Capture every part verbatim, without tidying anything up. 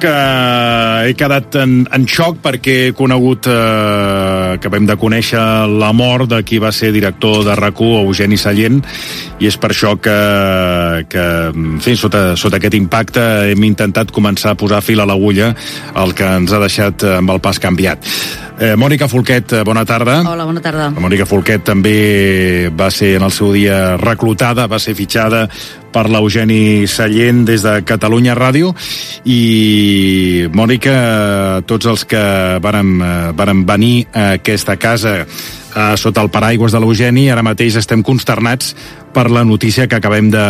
que he quedat en, en xoc perquè he conegut, eh, que vam de conèixer la mort de qui va ser director de RAC1, Eugeni Sallent, i és per això que, que en fi, sota, sota aquest impacte hem intentat començar a posar fil a l'agulla, el que ens ha deixat amb el pas canviat. Eh, Mònica Folquet, bona tarda. Hola, bona tarda. La Mònica Folquet també va ser en el seu dia reclutada, va ser fitxada per l'Eugeni Sallent des de Catalunya Ràdio, i Mònica, tots els que vàrem, vàrem venir a aquesta casa eh, sota el paraigües de l'Eugeni, ara mateix estem consternats per la notícia que acabem de,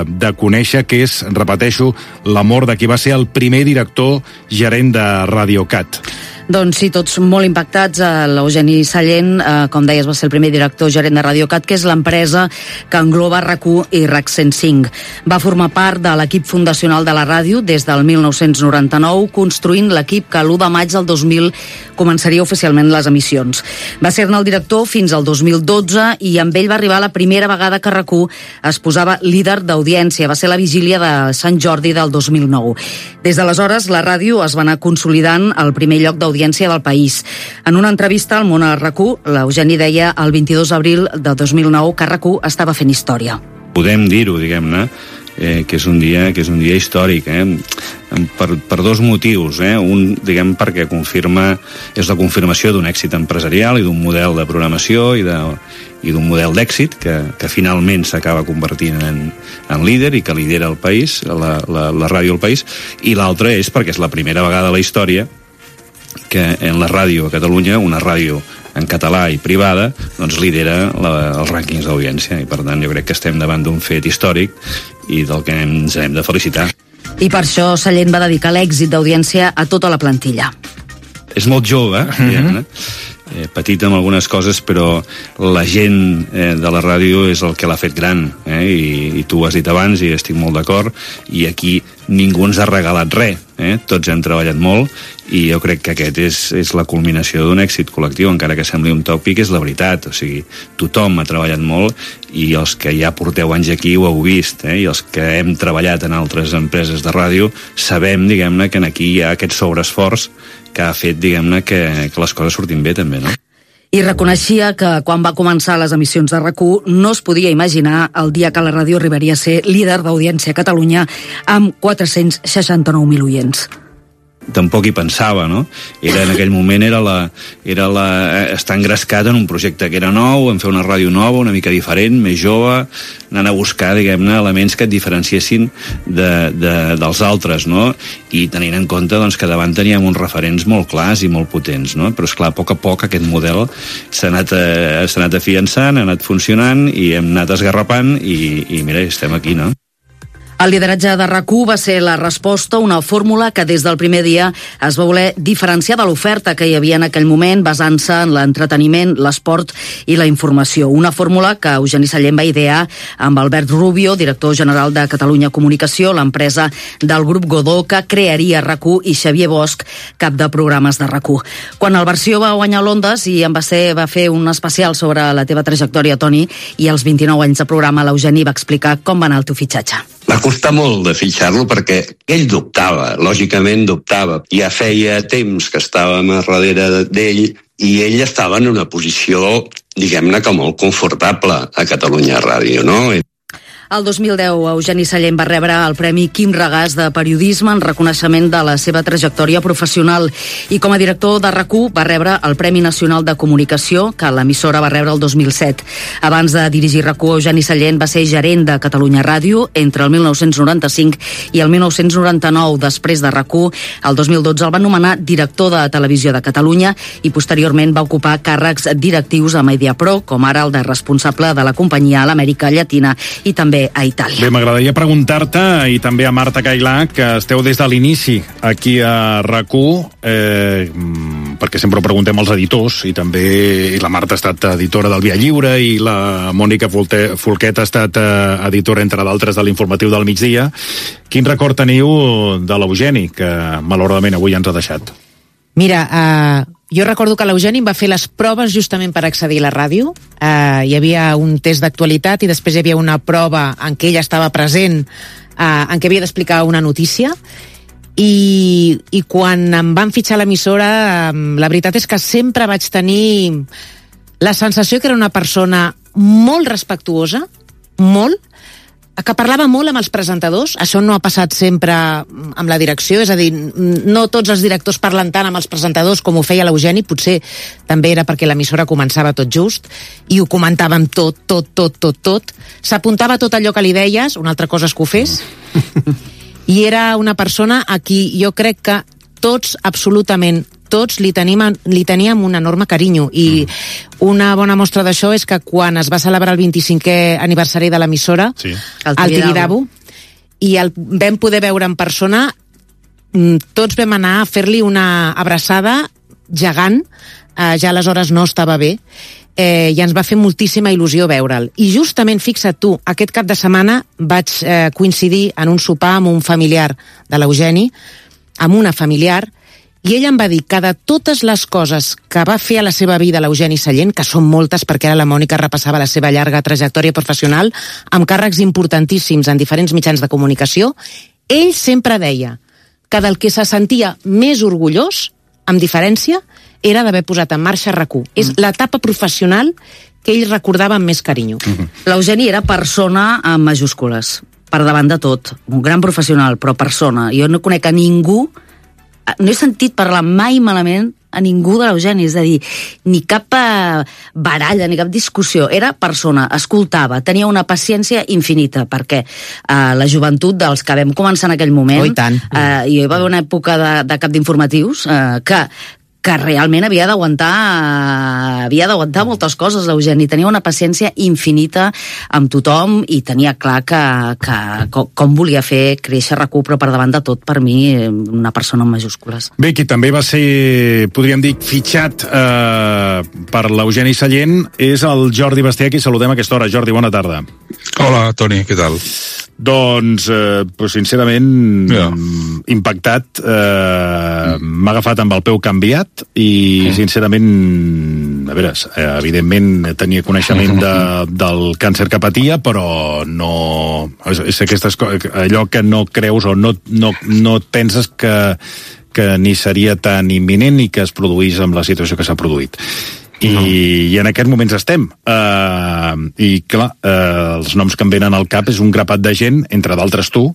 de conèixer, que és, repeteixo, la mort de qui va ser el primer director gerent de RadioCat. Doncs sí, tots molt impactats. L'Eugeni Sallent, eh, com deies, va ser el primer director gerent de RadioCat, que és l'empresa que engloba RAC1 i RAC cent cinc. Va formar part de l'equip fundacional de la ràdio des del mil nou-cents noranta-nou, construint l'equip que l'u de maig del dos mil començaria oficialment les emissions. Va ser-ne el director fins al dos mil dotze i amb ell va arribar la primera vegada que RAC1 es posava líder d'audiència. Va ser la vigília de Sant Jordi del dos mil nou. Des d'aleshores, la ràdio es va anar consolidant al primer lloc d'audiència del país. En una entrevista al Món a RAC1, l'Eugeni deia el vint-i-dos d'abril de dos mil nou que RAC1 estava fent història. Podem dir-ho, diguem-ne, eh, que és un dia que és un dia històric, eh? per, per dos motius. Eh? Un, diguem, perquè confirma, és la confirmació d'un èxit empresarial i d'un model de programació i de, i d'un model d'èxit que, que finalment s'acaba convertint en, en líder i que lidera el país, la, la, la ràdio al país, i l'altre és perquè és la primera vegada a la història que en la ràdio a Catalunya, una ràdio en català i privada, doncs lidera la, els rànquings d'audiència, i per tant jo crec que estem davant d'un fet històric i del que ens hem de felicitar. I per això Sallent va dedicar l'èxit d'audiència a tota la plantilla. És molt jove, mm-hmm. eh, petit amb algunes coses, però la gent eh, de la ràdio és el que l'ha fet gran, eh? I, i tu ho has dit abans i estic molt d'acord, i aquí ningú ens ha regalat res, eh? Tots hem treballat molt, i jo crec que aquest és, és la culminació d'un èxit col·lectiu, encara que sembli un tòpic, és la veritat. O sigui, tothom ha treballat molt, i els que ja porteu anys aquí ho heu vist, eh? I els que hem treballat en altres empreses de ràdio sabem, diguem-ne, que aquí hi ha aquest sobreesforç que ha fet, diguem-ne, que, que les coses surtin bé també, no? I reconeixia que quan va començar les emissions de RAC1 no es podia imaginar el dia que la ràdio arribaria a ser líder d'audiència a Catalunya amb quatre-cents seixanta-nou mil oients. Tampoc hi pensava, no? Era, en aquell moment era la, era la, estar engrescat en un projecte que era nou, en fer una ràdio nova, una mica diferent, més jove, anant a buscar, diguem-ne, elements que et diferenciessin de, de, dels altres, no? I tenint en compte, doncs, que davant teníem uns referents molt clars i molt potents, no? Però, esclar, a poc a poc aquest model s'ha anat, eh, s'ha anat afiançant, ha anat funcionant i hem anat esgarrapant i, i mira, estem aquí, no? El lideratge de RAC1 va ser la resposta, una fórmula que des del primer dia es va voler diferenciar de l'oferta que hi havia en aquell moment, basant-se en l'entreteniment, l'esport i la informació. Una fórmula que Eugeni Sallent va idear amb Albert Rubio, director general de Catalunya Comunicació, l'empresa del grup Godó que crearia RAC1, i Xavier Bosch, cap de programes de RAC1. Quan el Versió va guanyar l'Ondes i en va, ser, va fer un especial sobre la teva trajectòria, Toni, i els vint-i-nou anys de programa, l'Eugeni va explicar com va anar el teu fitxatge. Va costar molt de fitxar-lo perquè ell dubtava, lògicament dubtava. Ja feia temps que estàvem a darrere d'ell i ell estava en una posició, diguem-ne, que molt confortable a Catalunya Ràdio, no? El dos mil deu, Eugeni Sallent va rebre el Premi Quim Regàs de Periodisme en reconeixement de la seva trajectòria professional, i com a director de RAC1 va rebre el Premi Nacional de Comunicació, que l'emissora va rebre el dos mil set. Abans de dirigir RAC1, Eugeni Sallent va ser gerent de Catalunya Ràdio entre el mil nou-cents noranta-cinc i el mil nou-cents noranta-nou. Després de RAC1, el dos mil dotze el van nomenar director de Televisió de Catalunya i posteriorment va ocupar càrrecs directius a Mediapro, com ara el de responsable de la companyia a l'Amèrica Llatina i també a Itàlia. Bé, m'agradaria preguntar-te, i també a Marta Cailà, que esteu des de l'inici aquí a RAC1, eh, perquè sempre ho preguntem als editors, i també i la Marta ha estat editora del Via Lliure i la Mònica Folquet ha estat eh, editora, entre d'altres, de l'Informatiu del Migdia. Quin record teniu de l'Eugeni, que malauradament avui ens ha deixat? Mira, eh, jo recordo que l'Eugeni em va fer les proves justament per accedir a la ràdio. Eh, hi havia un test d'actualitat i després hi havia una prova en què ella estava present, eh, en què havia d'explicar una notícia. I, i quan em van fitxar a l'emissora, la veritat és que sempre vaig tenir la sensació que era una persona molt respectuosa, molt, que parlava molt amb els presentadors. Això no ha passat sempre amb la direcció, és a dir, no tots els directors parlen tant amb els presentadors com ho feia l'Eugeni, potser també era perquè l'emissora començava tot just, i ho comentàvem tot, tot, tot, tot, tot. S'apuntava tot allò que li deies, una altra cosa és que ho fes, i era una persona a qui jo crec que tots, absolutament tots, li tenim, li teníem un enorme carinyo, i una bona mostra d'això és que quan es va celebrar el vint-i-cinquè aniversari de l'emissora, sí, al Tibidabo, i el vam poder veure en persona, tots vam anar a fer-li una abraçada gegant, eh, ja aleshores no estava bé, eh, i ens va fer moltíssima il·lusió veure'l. I justament, fixa't tu, aquest cap de setmana vaig eh, coincidir en un sopar amb un familiar de l'Eugeni, amb una familiar, i ella em va dir que de totes les coses que va fer a la seva vida l'Eugeni Sallent, que són moltes perquè ara la Mònica repassava la seva llarga trajectòria professional, amb càrrecs importantíssims en diferents mitjans de comunicació, ell sempre deia que del que se sentia més orgullós, amb diferència, era d'haver posat en marxa RAC u. Mm. És l'etapa professional que ell recordava amb més carinyo. Mm-hmm. L'Eugeni era persona amb majúscules, per davant de tot. Un gran professional, però persona. Jo no conec a ningú, no he sentit parlar mai malament a ningú de l'Eugeni, és a dir, ni cap baralla, ni cap discussió. Era persona, escoltava, tenia una paciència infinita, perquè eh, la joventut dels que vam començar en aquell moment, oh, i tant. Eh, hi va haver una època de, de cap d'informatius eh, que que realment havia d'aguantar havia d'aguantar moltes coses, l'Eugeni. Tenia una paciència infinita amb tothom i tenia clar que, que com, com volia fer créixer RAC u, però per davant de tot, per mi, una persona amb majúscules. Bé, qui també va ser, podríem dir, fitxat eh, per l'Eugeni Sallent és el Jordi Basté, qui saludem a aquesta hora. Jordi, bona tarda. Hola, Toni, què tal? Doncs, eh, però sincerament, yeah. impactat, eh, mm. m'ha agafat amb el peu canviat i, mm. sincerament, a veure, evidentment tenia coneixement de, del càncer que patia, però no... És, és aquestes coses, allò que no creus o no, no, no et penses que, que ni seria tan imminent ni que es produís amb la situació que s'ha produït. I, no. i en aquests moments estem. Uh, I, clar, uh, els noms que em venen al cap és un grapat de gent, entre d'altres tu,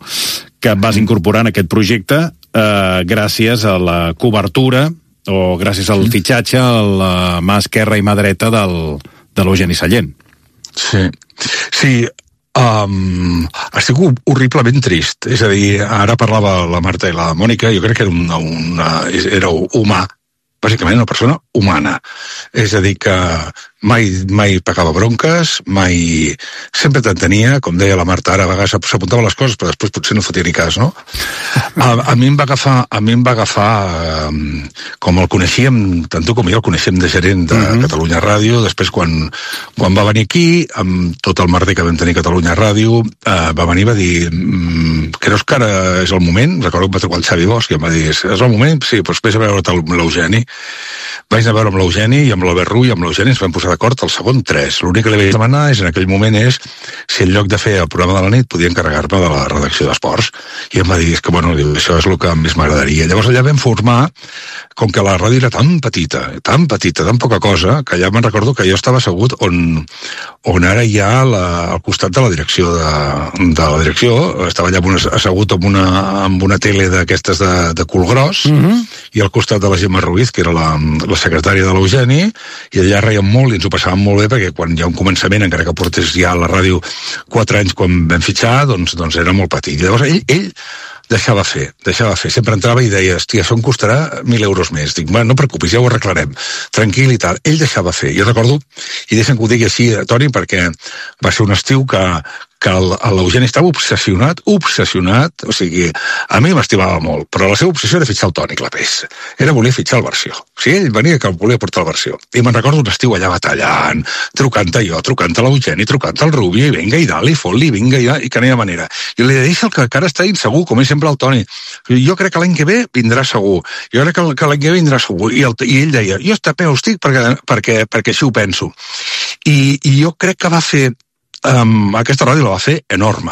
que vas incorporar en aquest projecte uh, gràcies a la cobertura o gràcies al fitxatge a la mà esquerra i mà dreta del, de l'Eugeni Sallent. Sí, sí, um, estic horriblement trist. És a dir, ara parlava la Marta i la Mònica, jo crec que era, una, una, era humà, bàsicament una persona humana. És a dir, que mai, mai pagava bronques, mai... Sempre t'entenia, com deia la Marta, ara a vegades s'apuntava les coses, però després potser no fotia ni cas, no? A, a mi em va agafar, a mi em va agafar um, com el coneixíem, tant tu com jo el coneixíem de gerent de uh-huh. Catalunya Ràdio, després quan, quan va venir aquí, amb tot el merder que vam tenir a Catalunya Ràdio, uh, va venir i va dir mm, creus que ara és el moment? Recordo que va trucar el Xavi Bosch i em va dir, és el moment? Sí, doncs vés a veure l'Eugeni. Vaig anar a veure amb l'Eugeni i amb l'Albert Rull i amb l'Eugeni ens vam posar d'acord al segon tres. L'únic que li vaig demanar és, en aquell moment, és si en lloc de fer el programa de la nit podia encarregar-me de la redacció d'esports. I em va dir, és que, bueno, això és el que més m'agradaria. Llavors allà vam formar, com que la ràdio era tan petita, tan petita, tan poca cosa, que allà me'n recordo que jo estava assegut on, on ara hi ha la, al costat de la direcció de, de la direcció, estava allà una, assegut amb una, amb una tele d'aquestes de, de cul gros, mm-hmm. i al costat de la Gemma Ruiz, que era la, la secretària de l'Eugeni, i allà reiem molt i ens ho passàvem molt bé, perquè quan hi ha un començament, encara que portés ja a la ràdio quatre anys quan vam fitxar, doncs, doncs era molt petit. I llavors ell, ell deixava fer, deixava fer. Sempre entrava i deia, hòstia, això em costarà mil euros més. Dic, bueno, no preocupis, ja ho arreglarem. Tranquil i tal. Ell deixava fer. Jo recordo, i deixa'm que ho digui així, Toni, perquè va ser un estiu que, que l'Eugeni estava obsessionat, obsessionat, o sigui, a mi m'estimava molt, però la seva obsessió era fitxar el Toni Clapés. Era voler fitxar el Versió. O sigui, ell venia que volia portar el Versió. I me'n recordo un estiu allà batallant, trucant a jo, trucant a l'Eugeni, trucant al Rubi, i vinga, i dalt, i fot-li, vinga, i, i que no hi ha manera. I li deia que encara està insegur, com és sempre el Toni. Jo crec que l'any que ve vindrà segur. Jo crec que l'any que ve vindrà segur. I, el, i ell deia, jo està peu estic perquè, perquè, perquè així ho penso. I, i jo crec que va fer Um, aquesta ràdio la va fer enorme,